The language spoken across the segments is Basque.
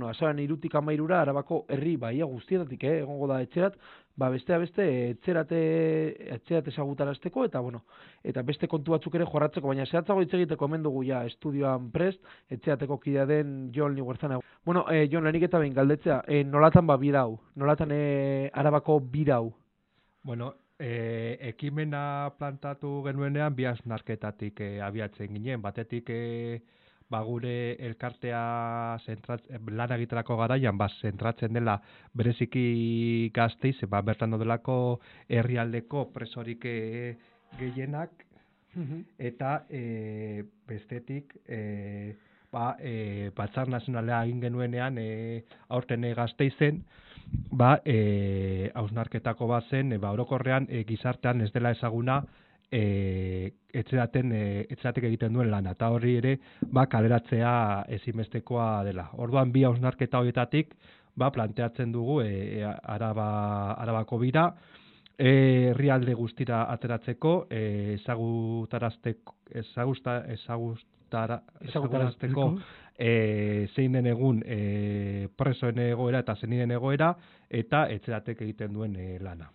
bueno, azaran 3tik 13 Arabako herri baia guztietatik, egongo da etxerat, bestea beste etxerat ezagutarazteko, eta bueno, eta beste kontu batzuk ere jorratzeko, baina zehatzago hitz egiteko hemen dugu ja estudioan prest, etxerateko kidea den Jon Liguerzana. Bueno, Jon, lehenik eta behin galdetzea, nolatan birau, nolatan Arabako birau? Bueno, ekimena plantatu genuenean bi hausnarketatik abiatzen ginen. Batetik gure elkartea lan egiterako garaian zentratzen dela bereziki Gasteiz, bertan dodelako herrialdeko presorik gehienak, eta bestetik Batzar Nazionalea egin genuenean aurten Gasteizen, hausnarketako bat zen, orokorrean gizartean ez dela ezaguna etxeratek egiten duen lana, eta hori ere kaleratzea ezinbestekoa dela. Orduan bi hausnarketa horietatik planteatzen dugu Arabako bira, herrialde guztira ateratzeko, ezagutarazteko zein den egun presoen egoera eta zeniden egoera, eta etxeratek egiten duen lana.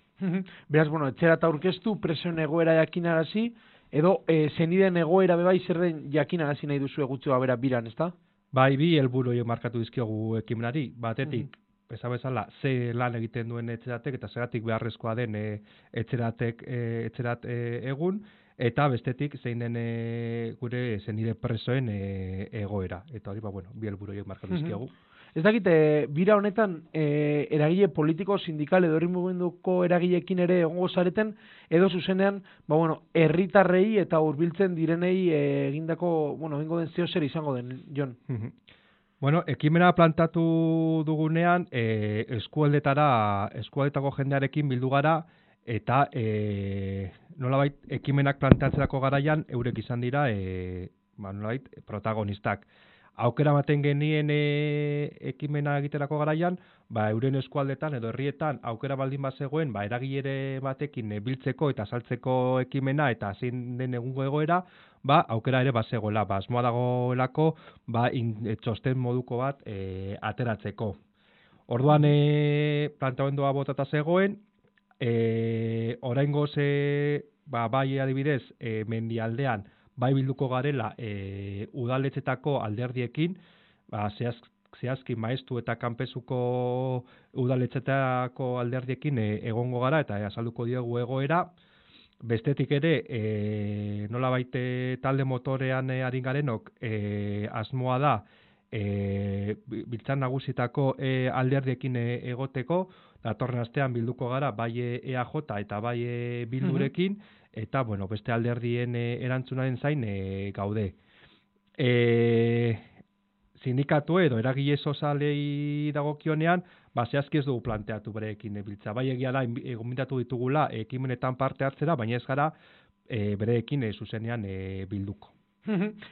Beraz, bueno, etxerat aurkeztu, presoen egoera jakinarazi, edo zeniden egoera bebai zer den jakinarazi nahi duzu egutxoa bera biran, ezta? Bai, bi helburu markatu dizkiogu ekimenari, batetik, bezala, ze lan egiten duen etxeratek, eta zeratik beharrezkoa den etxerat egun, eta bestetik zein den gure zenide presoen egoera. Eta hori, bi helburu markatu dizkiogu. Ez dakit, bira honetan eragile politiko, sindikal edo herri mugimenduko eragileekin ere egongo zareten, edo zuzenean, herritarrei eta hurbiltzen direnei egindako, egingo den zeo zer izango den, Jon? Ekimena plantatu dugunean, eskualdetako jendearekin bildu gara, eta nolabait ekimenak planteatzerako garaian eurek izan dira nolabait protagonistak. Aukera ematen genien ekimena egiterako garaian, euren eskualdetan edo herrietan aukera baldin bazegoen, eragilere batekin biltzeko eta saltzeko ekimena eta zein den egungo egoera, aukera ere bazegoela, asmoa dagoelako txosten moduko bat ateratzeko. Orduan planteamendua botata zegoen, oraingoz bai adibidez Mendialdean bilduko garela udaletxetako alderdiekin, zehazki Maeztu eta Kanpezuko udaletxetako alderdiekin egongo gara eta azalduko diogu egoera. Bestetik ere, nolabait talde motorean ari garenok asmoa da Biltzar Nagusitako alderdiekin egoteko, datorren astean bilduko gara bai EAJ eta bai Bildurekin, eta beste alderdien erantzunaren zain gaude. Sindikatu edo eragile sozialei dagokionean, zehazki ez dugu planteatu bereekin biltza. Bai egia da, gonbidatu ditugula ekimenetan parte hartzera, baina ez gara bereekin zuzenean bilduko.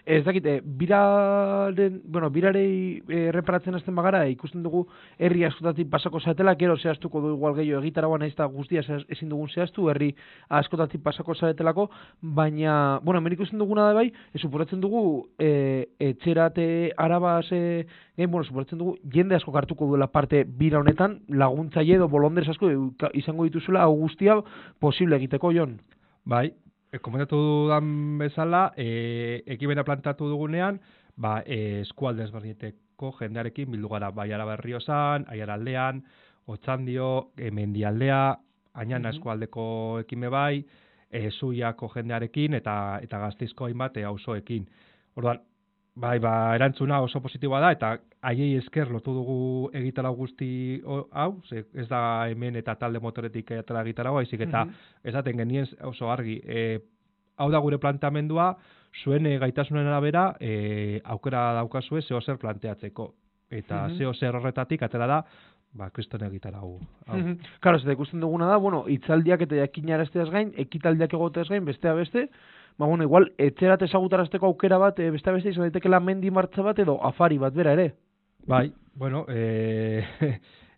Ez dakit, birarei erreparatzen hasten bagara, ikusten dugu herri askotatik pasako zaretela, gero zehaztuko du igual gehiago egitaragoan ez da guztia ezin dugun zehaztu, herri askotatik pasako zaretelako, baina, hemen ikusten duguna da bai, supuratzen dugu etxerate Arabaz, supuratzen dugu jende asko hartuko duela parte bira honetan, laguntzaile edo bolondrez asko izango dituzula hau guztia posible egiteko, Jon. Bai. Komentatu dudan bezala, ekimena plantatu dugunean, eskualde ezberdinetako jendearekin bildu gara, bai Araba Errioxan, Aiaraldean, Otxandio, Mendialdea, Añana eskualdeko ekime bai, Zuiako jendearekin eta Gasteizko hainbat auzoekin. Orduan, erantzuna oso positiboa da, eta haiei esker lotu dugu egitarau guzti hau, ez da hemen eta talde motoretik atera egitarau, haizik eta esaten genien oso argi. Hau da gure planteamendua, zuen gaitasunen arabera aukera daukazue zeo zer planteatzeko. Eta zeo zer horretatik atera da, kriston egitarau. Karo, ez da ikusten duguna da, hitzaldiak eta jakinarazteaz gain, ekitaldiak egoteaz gain, bestea beste, igual, etxerat ezagutarazteko aukera bat, beste izan daitekela mendi martza bat edo afari bat bera ere. Bai,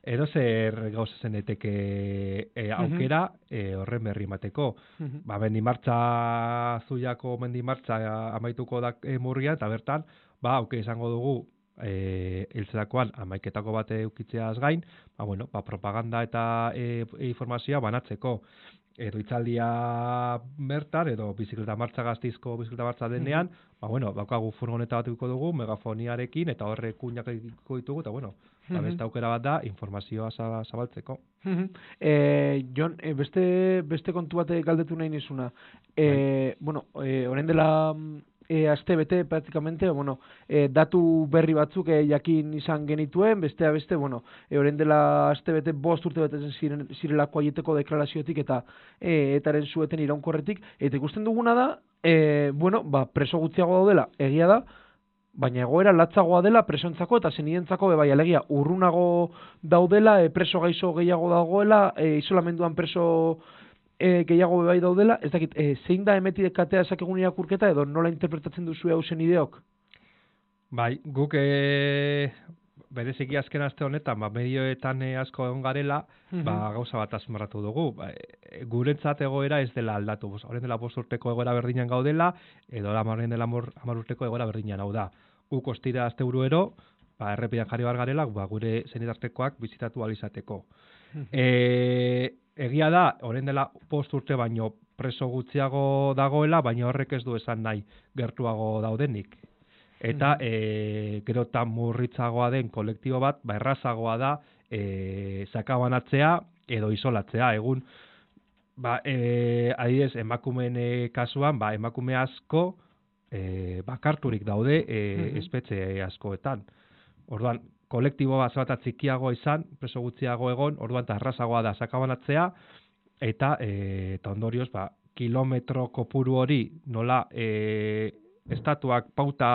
edo zer gauza zeneteke aukera horren berri mateko. Mendi martza, Zuiako mendi martza amaituko da murrian, eta bertan, auke izango dugu hiltzerakoan 11etako bat eukitzeaz gain, propaganda eta informazioa banatzeko. Edo hitzaldia bertan, edo bizikleta martxa Gasteizko bizikleta martxa denean, daukagu furgoneta bat edukiko dugu, megafoniarekin, eta horrek kuinak edukiko ditugu, eta beste aukera bat da, informazioa zabaltzeko. Jon, beste kontu bat galdetu nahi nizuna. Orain dela aste bete, praktikamente, datu berri batzuk jakin izan genituen, beste, orain dela aste bete, 5 urte betetzen zirelako aieteko deklaraziotik eta etaren zueten iraunkorretik, eta ikusten duguna da, preso gutxiago daudela, egia da, baina egoera latzagoa dela presontzako eta zenidentzako bai, alegia, urrunago daudela, preso gaixo gehiago dagoela, isolamenduan preso gehiago bai daudela, ez dakit, zein da emetidekatea esakegun irakurketa edo nola interpretatzen duzu hau zen ideok? Bai, guk bereziki azken aste honetan, medioetan asko egon garela, gauza bat azmarratu dugu. Guretzat egoera ez dela aldatu. Horren dela 5 urteko egoera berdinan gaudela, edo horren dela 10 urteko egoera berdinan hau da. Guk ostira asteburuero, errepidean jarri bar garela, gure zenitartekoak bizitatu alizateko. Egia da, horren dela 5 urte baino preso gutxiago dagoela, baina horrek ez du esan nahi gertuago daudenik. Eta gero eta murritzagoa den kolektibo bat, errazagoa da sakabanatzea edo isolatzea. Egun, adibidez, emakumeen kasuan, emakume asko bakarturik daude espetxe askoetan. Orduan, kolektibo bat txikiagoa izan, preso gutxiago egon, orduan eta errazagoa da sakabanatzea, eta ondorioz, kilometro kopuru hori nola estatuak pauta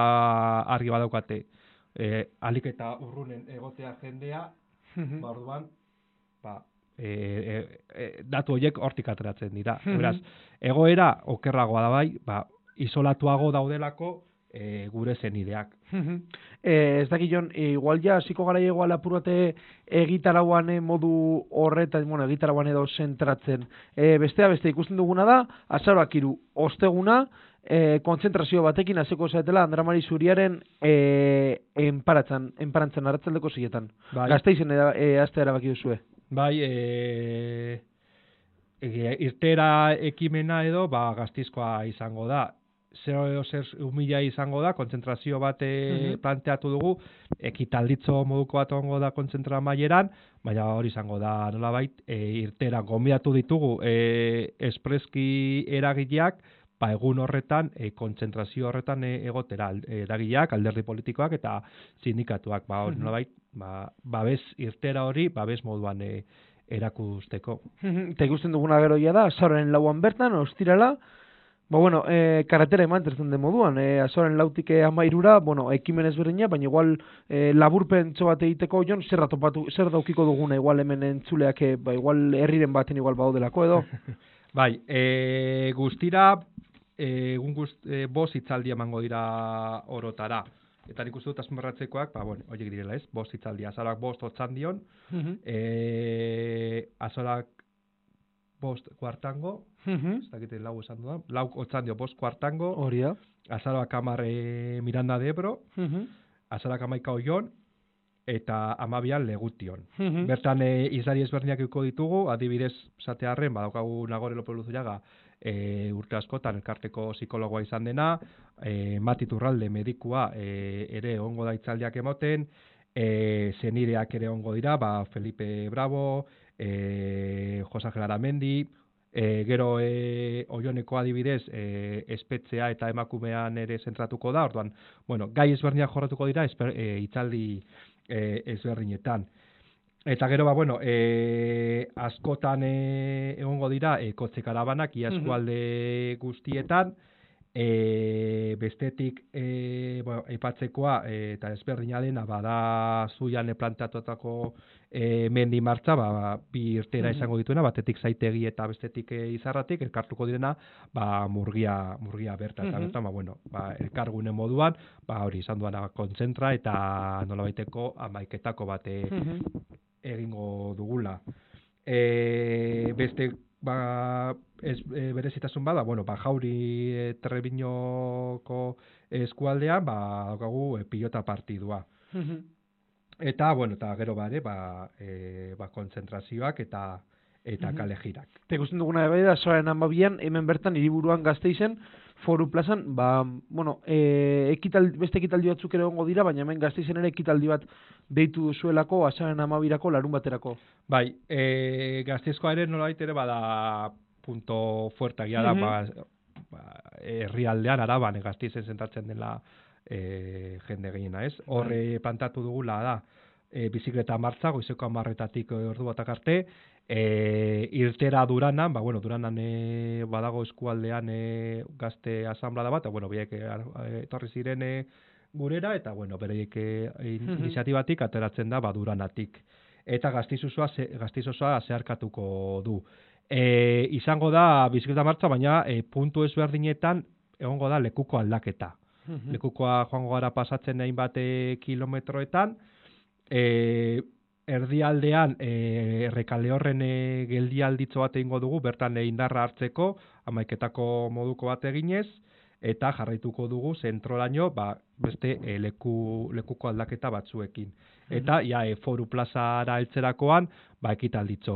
argi badaukate alik eta urrunen egotea jendea, orduan, datu horiek hortik ateratzen dira. Beraz, egoera okerragoa da bai, isolatuago daudelako gure zenideak. Ez dakit, Jon, igual ja, hasiko gara igual apurate egitarauan modu horretan, egitarauan edo zentratzen. Beste ikusten duguna da, azaroak 3 osteguna, kontzentrazio batekin hasiko zaetela Andramari Zuriaren enparantzan arratsaldeko 6etan. Gasteizen hastea erabaki duzue. Bai, irtera ekimena edo Gasteizkoa izango da. 0,0 izango da, kontzentrazio bat planteatu dugu, ekitalditzo moduko bat ongo da kontzentra maileran, baina hori izango da nolabait, irtera gonbidatu ditugu espreski eragileak, egun horretan, kontzentrazio horretan egotera eragileak, alderdi politikoak eta sindikatuak, nolabait, babes irtera hori, babes moduan erakusteko. Eta ikusten duguna geroia da, azaroaren 4an bertan, ostirala, karretera emantertzen den moduan, azoren 4tik 13ra, ekimen ezberdina, baina igual laburpentso bat egiteko, Jon, zer daukiko duguna igual hemen entzuleak, igual herriren baten igual baudelako edo? Bai, guztira, 5 hitzaldi emango dira orotara. Eta nik uste dut azmarratzekoak, horiek direla ez, 5 hitzaldi, azaroak 5 Otxandion, azaroak 5 Kuartango, ez dakite lau esan dudan, 4 Otxandio 5 Kuartango, azaroak 10 Miranda de Ebro, azaroak 11 Oion, eta 12 Legution. Bertan izlari ezberdinak euko ditugu, adibidez, zatearren, badaukagu Nagore López Luzuriaga, urte askotan elkarteko psikologoa izan dena, Mati Turralde medikua ere ongo da hitzaldiak emoten, zenireak ere ongo dira, Felipe Bravo, Jose Ángel Aramendi, gero Oioneko adibidez espetxea eta emakumean ere zentratuko da, orduan, gai ezberdinak jorratuko dira hitzaldi ezberdinetan. Eta gero, askotan egongo dira kotxe karabanak ia eskualde guztietan, bestetik aipatzekoa eta ezberdina dena bada Zuian planteatutako mendi martxa, 2 irtera izango dituena, batetik Zaitegi eta bestetik Izarratik, elkartuko direna Murgia bertan, eta bertan, elkargune moduan, hori izan duana kontzentra eta nolabaiteko 11etako bat egingo dugula. Beste berezitasun bada, Jauri Trebiñoko eskualdean, daukagu pilota partidua. Eta, bueno, eta gero bare, kontzentrazioak eta kale jirak. Eta ikusten duguna da, azaroaren 12an, hemen bertan, hiriburuan Gasteizen, Foru plazan, bueno, beste ekitaldi batzuk ere egongo dira, baina hemen Gasteizen ere ekitaldi bat deitu duzuelako, azaroaren 12irako larun baterako. Bai, Gasteizkoa ere nolabait ere bada punto fuerte agia da, herrialdean Araban Gasteizen sentatzen dela jende gehiena, ez? Horre plantatu dugula da, bizikleta martza, goizeko 10:00 ordu batak arte, irtera Duranan, Duranan badago eskualdean gazte asanblada bat, biek etorri ziren gurera, eta bereiek iniziatibatik ateratzen da Duranatik. Eta Gasteiz osoa zeharkatuko du. Izango da bizikleta martza, baina puntu ezberdinetan egongo da lekuko aldaketa. Lekukoa joango gara pasatzen hainbat kilometroetan, erdialdean Errekaleorren geldialditxo bat egingo dugu, bertan indarra hartzeko, 11:00 moduko bat eginez, eta jarraituko dugu zentrolaino beste lekuko aldaketa batzuekin. Eta Foru plazara heltzerakoan ekitalditxo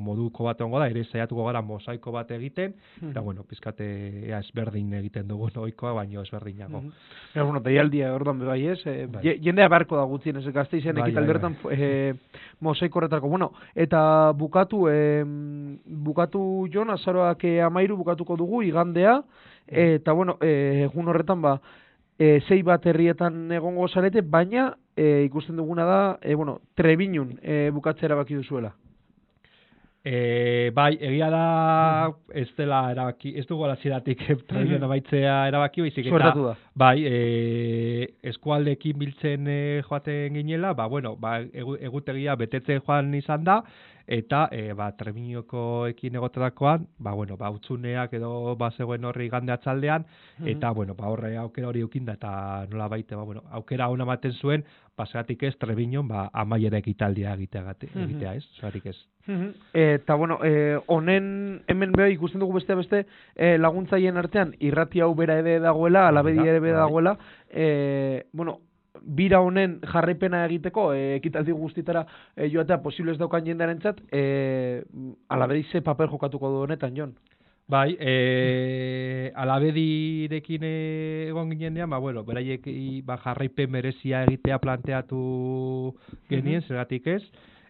moduko bat egongo da, ere saiatuko gara mosaiko bat egiten, eta pizkate ezberdin egiten dugu ohikoa, baino ezberdinago. Deialdia orduan bai ez, jendea beharko da gutxienez Gasteizen ekitaldi horretan mosaiko horretako. Eta bukatu Jon, azaroak 13 bukatuko dugu, igandea, eta egun horretan sei bat herrietan egongo zarete, baina ikusten duguna da, Trebiñun bukatzea erabaki duzuela. Egia da ez dela erabaki, ez dugu alaziratik Trebiñun amaitzea erabaki, baizik eta eskualdeekin biltzen joaten ginela, egutegia betetzen joan izan da, eta Trebiñukoekin egoterakoan, utzuneak edo zegoen horri igande atzaldean, eta horre aukera hori eukinda, eta nola baite, aukera hona ematen zuen, paseatik ez Trebiñun amaiera ekitaldia egitea ez, zeratik ez. Eta honen hemen ikusten dugu beste laguntzaien artean, irrati hau bera ere dagoela, Alabedi ere bera dagoela, bira honen jarraipena egiteko, ekitaldi guztitara joatea posible ez daukan jendearentzat, Alabedi ze papel jokatuko du honetan, Jon? Alabedirekin egon ginean, beraiek jarraipen merezia egitea planteatu genien, zeratik ez,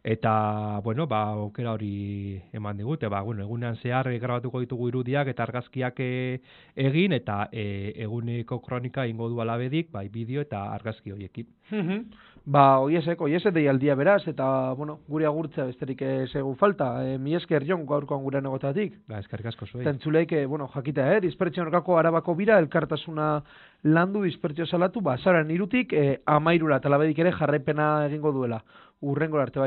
eta, aukera hori eman digute, egunean zehar grabatuko ditugu irudiak eta argazkiak egin, eta eguneko kronika ingo du Alabedik, bideo eta argazki horiekin. Oiesek deialdia beraz, eta, gure agurtzea besterik zegu falta. Mi esker, Jon, gaurkoan gure negotatik. Eskerrik asko zuei. Tentzuleik, jakitea, dispertsio norkako Arabako bira, elkartasuna landu, dispertsio salatu, azaroaren 3 13:00 Alabedik ere jarraipena egingo duela. Urrengora arte bai.